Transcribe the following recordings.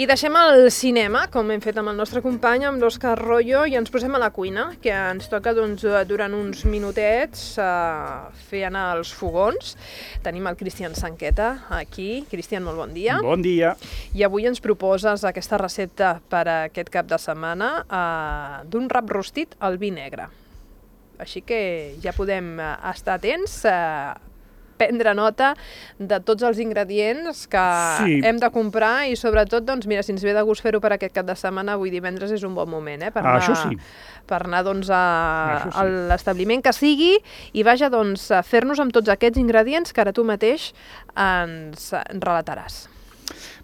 I deixem el cinema, com hem fet amb el nostre company, amb l'Òscar Royo, i ens posem a la cuina, que ens toca durant uns minutets fer anar els fogons. Tenim el Cristian Sanqueta aquí. Cristian, molt bon dia. Bon dia. I avui ens proposes aquesta recepta per a aquest cap de setmana d'un rap rostit al vi negre. Així que ja podem estar atents, prendre nota de tots els ingredients que hem de comprar i sobretot, doncs, mira, si ens ve de gust fer-ho per aquest cap de setmana, avui divendres és un bon moment, per anar doncs, a l'establiment que sigui i vaja, doncs, a fer-nos amb tots aquests ingredients que ara tu mateix ens relataràs.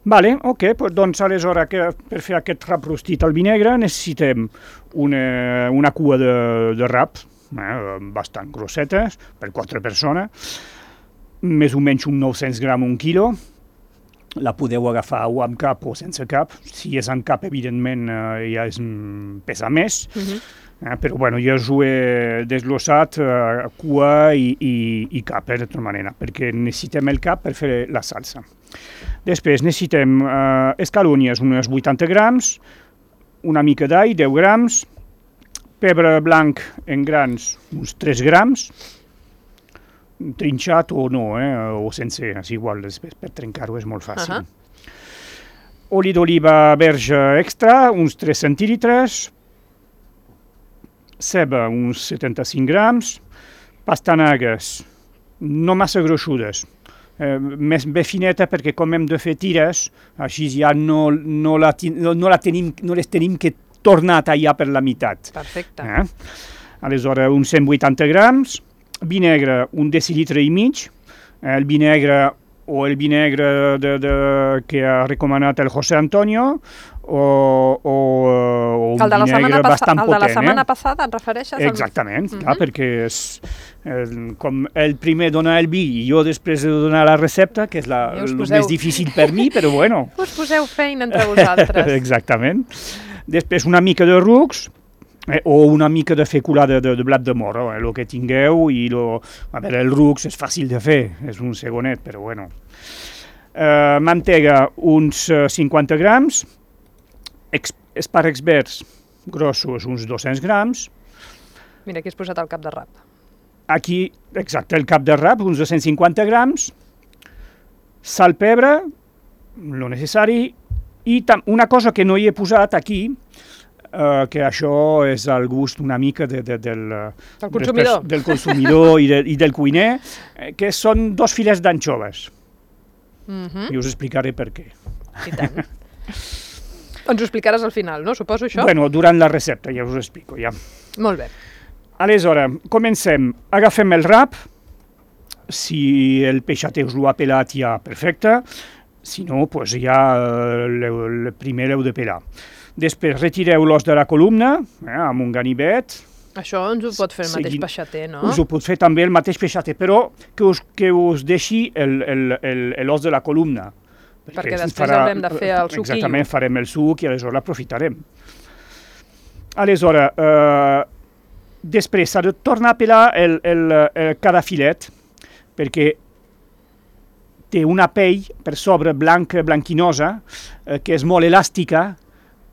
Vale, ok, doncs aleshores per fer aquest rap rostit al vi negre necessitem una cua de rap, bastant grossetes, per 4 persones, més o menys uns 900 grams, 1 quilo. La podeu agafar o amb cap o sense cap. Si és amb cap, evidentment, ja pesa més. Però bueno, jo us ho he desglossat, cua i cap, de tota manera, perquè necessitem el cap per fer la salsa. Després necessitem escalonyes, unes 80 grams, una mica d'all, 10 grams, pebre blanc en grans, uns 3 grams, trinxat o no, o sense, és igual, per trencar-ho és molt fàcil. Oli d'oliva verge extra, uns 3 centilitres, ceba, uns 75 grams, pastanagues, no massa gruixudes, més bé fineta perquè com hem de fer tires, així ja no les tenim que tornar a tallar per la meitat. Perfecte. Aleshores, uns 180 grams, vi negre, un decilitre i mig, el vi negre o el vi negre que ha recomanat el José Antonio, o un vi negre bastant potent. El de la setmana passada et refereixes? Exactament, clar, perquè com el primer dona el vi i jo després de donar la recepta, que és el més difícil per mi, però bueno. Us poseu feina entre vosaltres. Exactament. Després una mica de rucs, o una mica de feculada de blat de moro, el que tingueu, i el rucs és fàcil de fer, és un segonet, però bueno. Mantega, uns 50 grams, espàrrecs verds grossos, uns 200 grams. Mira, aquí has posat el cap de rap. Aquí, exacte, el cap de rap, uns 250 grams, sal, pebre, lo necessari, i una cosa que no hi he posat aquí, que això és al gust una mica del consumidor i del cuiner, que són 2 filets d'anxoves. I us explicaré per què. I tant. Ens ho explicaràs al final, no? Suposo això? Bueno, durant la recepta, ja us ho explico, ja. Molt bé. Aleshores, comencem. Agafem el rap, si el peixater us l'ha pelat ja perfecte, si no, doncs ja primer l'heu de pelar. Després retireu l'os de la columna amb un ganivet. Això ens ho pot fer el mateix peixater, no? Us ho pot fer també el mateix peixater, però que us deixi l'os de la columna. Perquè després haurem de fer el suquillo. Exactament, farem el suc i aleshores l'aprofitarem. Aleshores, després s'ha de tornar a pelar cada filet, perquè té una pell per sobre blanquinosa, que és molt elàstica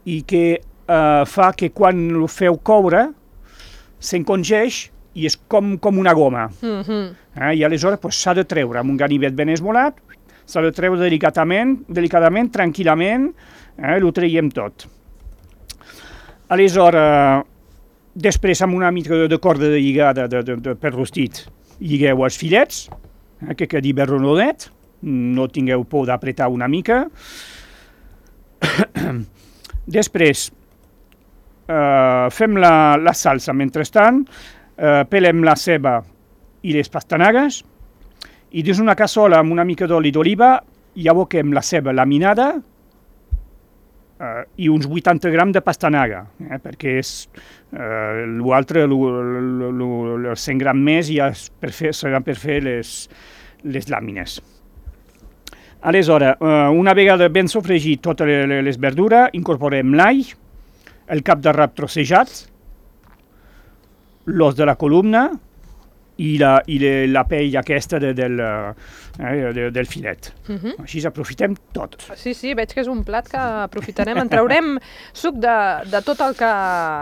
i que fa que quan ho feu coure s'encongeix i és com una goma. I aleshores s'ha de treure amb un ganivet ben esmolat, s'ha de treure delicadament, tranquil·lament, ho traiem tot. Aleshores, després amb una mica de corda de lligada per rostit, lligueu els filets, que quedi ben rodonet, no tingueu por d'apretar una mica. Després, fem la salsa mentrestant, pelem la ceba i les pastanagues, i dins una cassola amb una mica d'oli d'oliva hi aboquem la ceba laminada i uns 80 grams de pastanaga, perquè l'altre, els 100 grams més, ja seran per fer les làmines. Aleshores, una vegada ben sofregit totes les verdures, incorporem l'all, el cap de rap trossejat, l'os de la columna, la pell aquesta del filet. Així aprofitem tot. Sí, veig que és un plat que aprofitarem, en traurem suc de tot el que,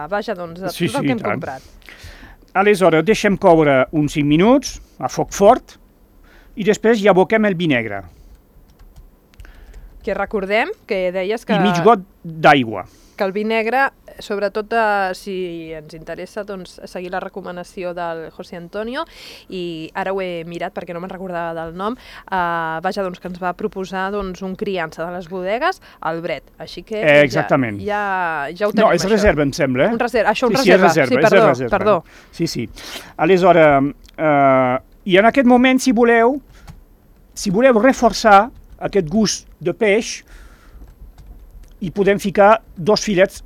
tot el que hem comprat. Aleshores, deixem coure uns 5 minuts a foc fort i després hi aboquem el vi negre. Que recordem que deies que... I mig got d'aigua. Que el vi negre, sobretot si ens interessa seguir la recomanació del José Antonio, i ara ho he mirat perquè no me'n recordava del nom, que ens va proposar un criança de les bodegues, el Bret, així que exactament. Ja ho tenim. No, és reserva, em sembla. Un reserva. Sí, perdó. Sí. Aleshores, i en aquest moment, si voleu reforçar aquest gust de peix, i podem ficar 2 filets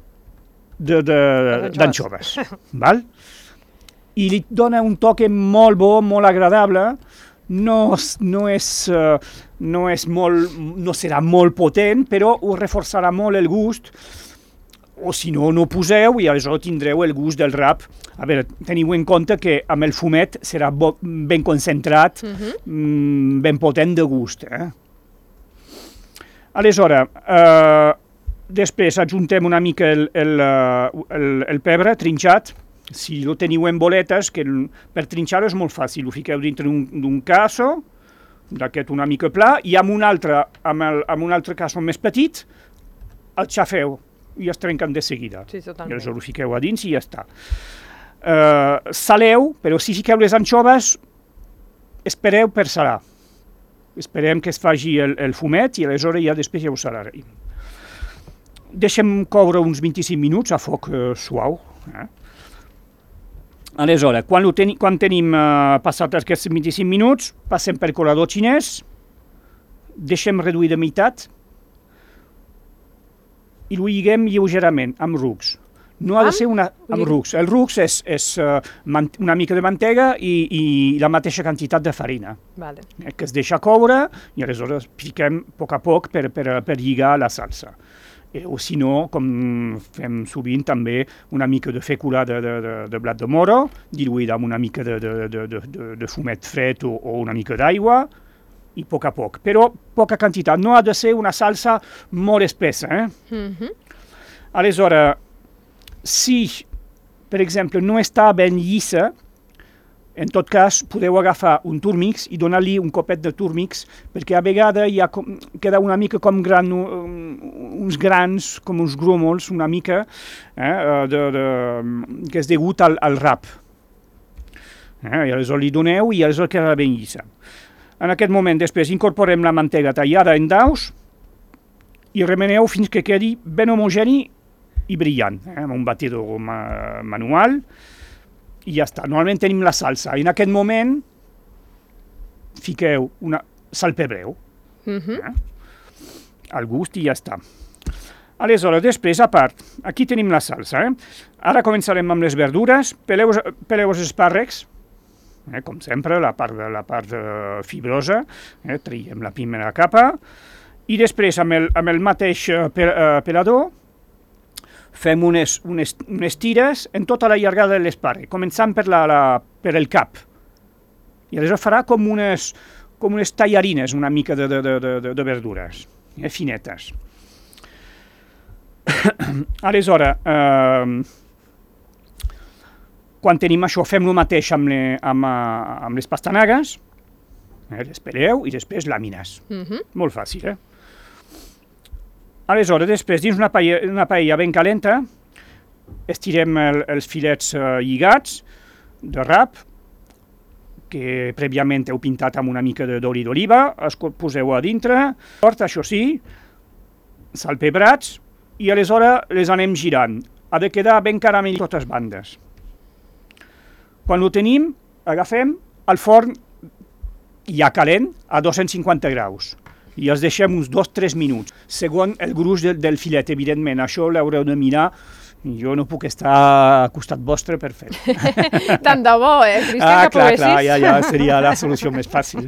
d'anxoves. I li dona un toque molt bo, molt agradable. No serà molt potent, però ho reforçarà molt el gust. O si no, no poseu i aleshores tindreu el gust del rap. A veure, teniu en compte que amb el fumet serà ben concentrat, ben potent de gust. Aleshores, després adjuntem una mica el pebre trinxat. Si lo teniu en boletes, que per trinxar-ho és molt fàcil, ho fiqueu dintre d'un casso, d'aquest una mica pla, i amb un altre casso més petit, el xafeu i es trenquen de seguida. Sí, totalment. I aleshores ho fiqueu a dins i ja està. Saleu, però si fiqueu les anxoves, espereu per salar. Esperem que es faci el fumet i aleshores després ja ho salarem. Deixem coure uns 25 minuts a foc suau. Aleshores, quan tenim passat aquests 25 minuts, passem per colador xinès, deixem reduir de meitat i ho lliguem lleugerament amb rucs. No ha de ser amb rucs. El rucs és una mica de mantega i la mateixa quantitat de farina. Que es deixa coure i aleshores piquem a poc per lligar la salsa. O si no, com fem sovint també, una mica de fècula de blat de moro, diluïda amb una mica de fumet fred o una mica d'aigua, i a poc. Però poca quantitat, no ha de ser una salsa molt espessa. Aleshores, si, per exemple, no està ben llisa, en tot cas, podeu agafar un turmix i donar-li un copet de turmix, perquè a vegades queda una mica com uns grans, com uns grúmols, una mica, que és degut al rap. I aleshores li doneu i aleshores quedarà ben llisa. En aquest moment, després, incorporem la mantega tallada en daus i remeneu fins que quedi ben homogeni i brillant, amb un batidor manual. I ja està. Normalment tenim la salsa. I en aquest moment fiqueu salpebreu al gust i ja està. Aleshores, després, a part, aquí tenim la salsa. Ara començarem amb les verdures. Peleu els espàrrecs, com sempre, la part fibrosa. Traiem la primera capa. I després, amb el mateix pelador, fem unes tires en tota la llargada de l'espàrrec, començant per el cap. I aleshores farà com unes tallarines, una mica de verdures, finetes. Aleshores, quan tenim això, fem el mateix amb les pastanagues, les peleu i després làmines. Molt fàcil, Aleshores, després, dins una paella ben calenta, estirem els filets lligats de rap, que prèviament heu pintat amb una mica d'oli d'oliva, els poseu a dintre, això sí, salpebrats, i aleshores les anem girant. Ha de quedar ben caramell a totes bandes. Quan ho tenim, agafem el forn ja calent a 250 graus. I els deixem uns 2-3 minuts, segons el gruix del filet, evidentment. Això l'haureu de mirar, jo no puc estar al costat vostre per fer. Tant de bo, Cristian, que poguessis. Clar, ja seria la solució més fàcil.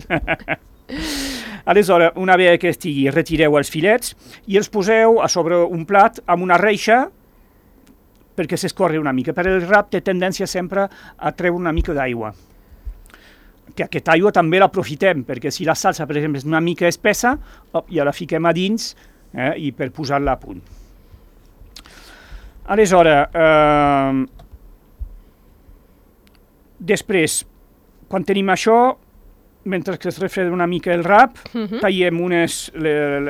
Aleshores, una vegada que estigui, retireu els filets i els poseu a sobre un plat amb una reixa perquè s'escorri una mica. Per el rap té tendència sempre a treure una mica d'aigua. que aquesta aigua també l'aprofitem, perquè si la salsa, per exemple, és una mica espessa, ja la fiquem a dins i per posar-la a punt. Aleshores, després, quan tenim això, mentre que es refreda una mica el rap, tallem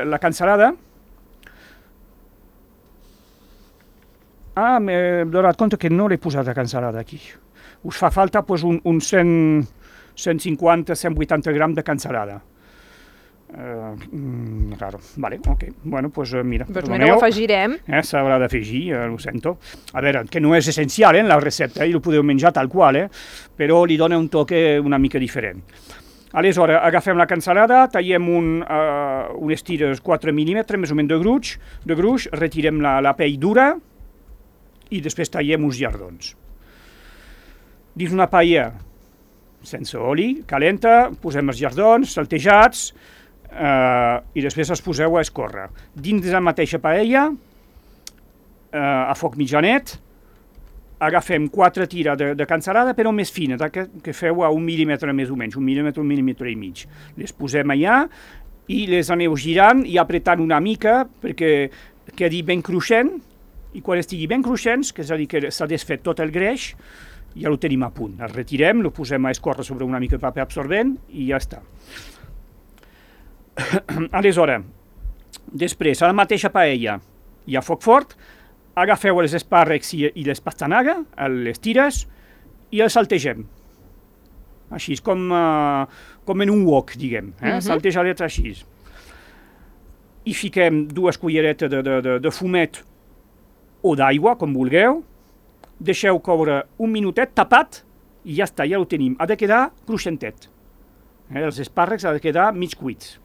la cansalada. M'he donat compte que no l'he posat la cansalada aquí. Us fa falta uns 150-180 grams de cansalada. Raro. Vale, ok. Bueno, doncs mira. Doncs mira, ho afegirem. S'haurà d'afegir, ho sento. A veure, que no és essencial en la recepta, i ho podeu menjar tal qual, però li dona un toque una mica diferent. Aleshores, agafem la cansalada, tallem unes tires 4 mil·límetres, més o menys de gruix, retirem la pell dura i després tallem uns llardons. Dins una paella sense oli, calenta, posem els llardons saltejats i després els poseu a escórrer. Dins de la mateixa paella, a foc mitjanet, agafem 4 tires de cansalada, però més fines, que feu a 1 mil·límetre més o menys, 1 mil·límetre i mig. Les posem allà i les aneu girant i apretant una mica perquè quedi ben cruixent, i quan estigui ben cruixents, que és a dir que s'ha desfet tot el greix, ja ho tenim a punt. El retirem, el posem a escórrer sobre una mica de paper absorbent i ja està. Aleshores, després, a la mateixa paella i a foc fort, agafeu els espàrrecs i les pastanagues, les tires, i els saltegem. Així, com en un wok, diguem, saltejadets així. I fiquem 2 culleretes de fumet o d'aigua, com vulgueu, deixeu coure un minutet tapat i ja està, ja ho tenim. Ha de quedar cruixentet. Els espàrrecs han de quedar mig cuits.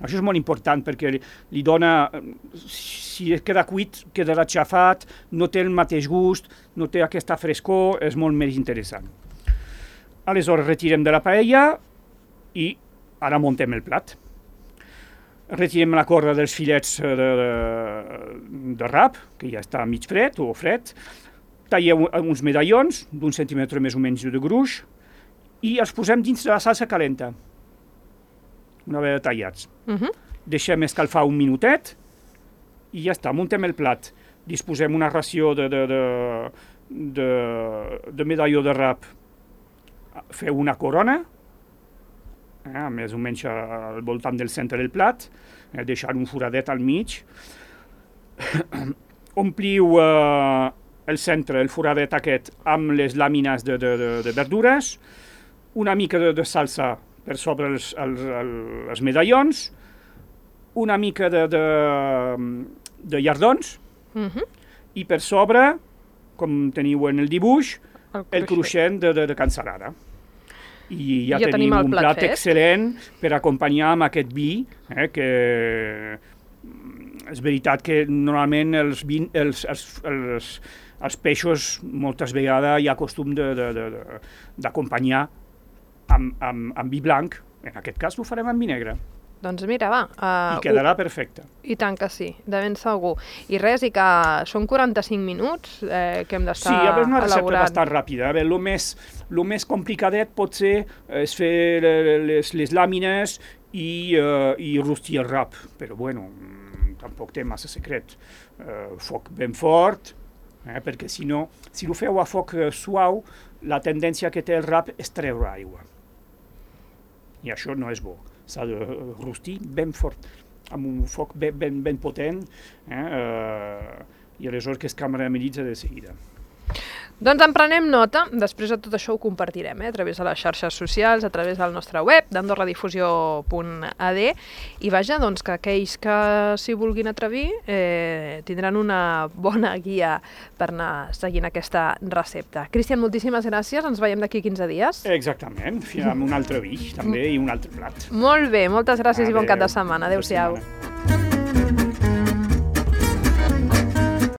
Això és molt important perquè li dona, si queda cuit, quedarà xafat, no té el mateix gust, no té aquesta frescor, és molt més interessant. Aleshores retirem de la paella i ara muntem el plat. Retirem la corda dels filets de rap, que ja està mig fred o fred, talleu uns medallons d'un centímetre més o menys de gruix i els posem dins de la salsa calenta, una vegada tallats. Deixem escalfar un minutet i ja està, muntem el plat. Disposem una ració de medalló de rap, feu una corona, més o menys al voltant del centre del plat, deixant un foradet al mig. Ompliu el centre, el foradet aquest, amb les làmines de verdures, una mica de salsa per sobre els medallons, una mica de llardons, i per sobre, com teniu en el dibuix, el cruixent de cansalada. I ja tenim un plat excel·lent per acompanyar amb aquest vi, que és veritat que normalment els peixos moltes vegades hi ha costum d'acompanyar amb vi blanc, en aquest cas ho farem amb vi negre. Doncs mira, va. I quedarà perfecte. I tant que sí, de ben segur. I res, i que són 45 minuts que hem d'estar elaborant. Sí, és una recepta bastant ràpida. El més complicadet pot ser és fer les làmines i rostir el rap, però bueno, tampoc té massa secret. Foc ben fort, perquè si no, si ho feu a foc suau, la tendència que té el rap és treure aigua. I això no és bo. S'ha de rostir ben fort, amb un foc ben potent, i aleshores que es caramelitza de seguida. Doncs en prenem nota, després de tot això ho compartirem a través de les xarxes socials, a través del nostre web, d'andorradifusió.ad, i vaja, doncs que aquells que s'hi vulguin atrevir tindran una bona guia per anar seguint aquesta recepta. Cristian, moltíssimes gràcies, ens veiem d'aquí 15 dies. Exactament, amb un altre vi també i un altre plat. Molt bé, moltes gràcies i bon cap de setmana. Adéu-siau.